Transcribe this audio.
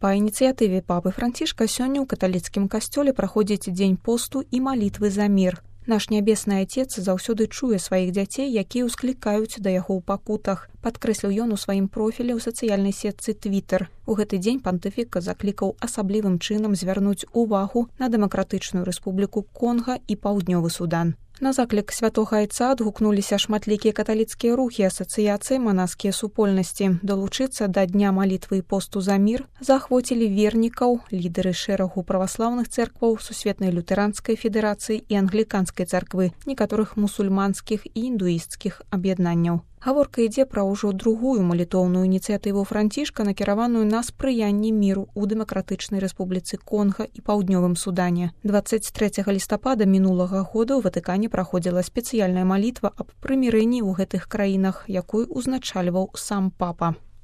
Па ініцыятыве папы Францішка сёння ў каталіцкім касцёле праходзіць дзень посту і малітвы за мір. Наш нябесны Отец заўсёды чуе сваіх дзяцей, якія ўсклікаюць да яго ў пакутах, падкрэсліў ён у сваім профілі ў сацыяльнай сетцы Twitter. У гэты дзень пантыфік заклікаў асаблівым чынам звярнуць увагу на Дэмакратычную Рэспубліку Конга і Паўднёвы Судан. На заклік святога айца адгукнуліся шматлікія каталіцкія рухі, асацыяцыі, манаскія супольнасці. Далучыцца да дня малітвы і посту за мір заахвоцілі вернікаў, лідары шэрагу праваслаўных цэркваў, Сусветнай лютэранскай федэрацыі і англіканскай царквы, некаторых мусульманскіх і індуісцкіх аб'яднанняў. Гаворка ідзе пра ўжо другую малітоўную ініцыятыву Францішка, накіраваную на спрыянне міру ў Дэмакратычнай Рэспубліцы Конга і Паўднёвым Судане. 23 лістапада мінулага года ў Ватыкане праходзіла спецыяльная малітва аб прымірэнні ў гэтых краінах, якую ўзначальваў сам папа.